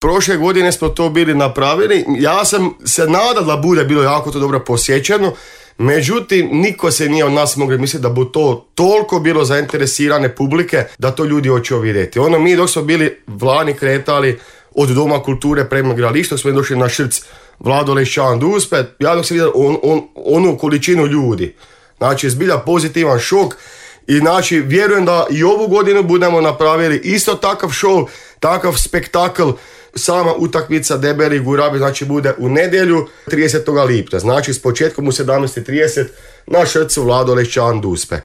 Prošle godine smo to bili napravili. Ja sam se nadal da bude bilo jako to dobro posjećeno. Međutim, niko se nije od nas mogli misliti da bi to toliko bilo zainteresirane publike da to ljudi hoće vidjeti. Mi dok smo bili vlani kretali od Doma kulture prema igralištu, smo došli na Šrc Vlado Lešćan Duspe, ja dok sam vidio onu količinu ljudi. Znači, zbilja pozitivan šok i znači, vjerujem da i ovu godinu budemo napravili isto takav show, takav spektakl. Sama utakmica Debeli Gurabi znači bude u nedjelju 30. lipnja, znači s početkom u 17:30 na Šrcu Vlado Lešćan Duspe.